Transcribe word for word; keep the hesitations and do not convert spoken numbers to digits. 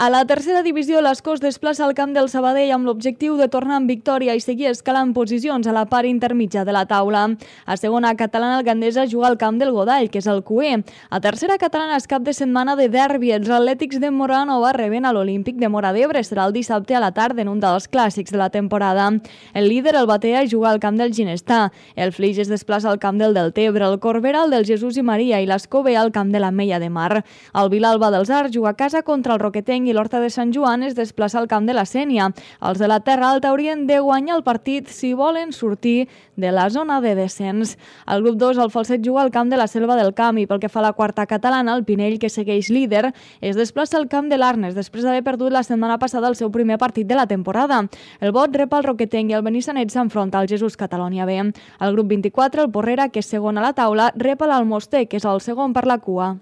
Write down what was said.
A la tercera divisió, l'Escó es desplaça al camp del Sabadell amb l'objectiu de tornar amb victòria i seguir escalant posicions a la part intermitja de la taula. A segona catalana, el Gandesa juga al camp del Godall, que és el Q E. A tercera catalana és cap de setmana de derbi. Els atlètics de Moranova reben a l'Olímpic de Móra d'Ebre. Serà el dissabte a la tarda en un dels clàssics de la temporada. El líder, el Batea, juga al camp del Ginestà. El Flix es desplaça al camp del Deltebre, el Corbera al del Jesús i Maria i l'Escó ve al camp de l'Ametlla de Mar. El Vilalba dels Arcs juga a casa contra el Roquetenc i l'Horta de Sant Joan es desplaça al camp de la Sénia. Els de la Terra Alta haurien de guanyar el partit si volen sortir de la zona de descens. El grup dos, el Falset, juga al camp de la Selva del Camp i pel que fa a la quarta catalana, el Pinell, que segueix líder, es desplaça al camp de l'Arnes després d'haver perdut la setmana passada el seu primer partit de la temporada. El Bot rep el Roquetenc i el Benissanet s'enfronta al Jesús Catalonia B. El grup vint-i-quatre, el Porrera, que és segon a la taula, rep l'Almoster, que és el segon per la cua.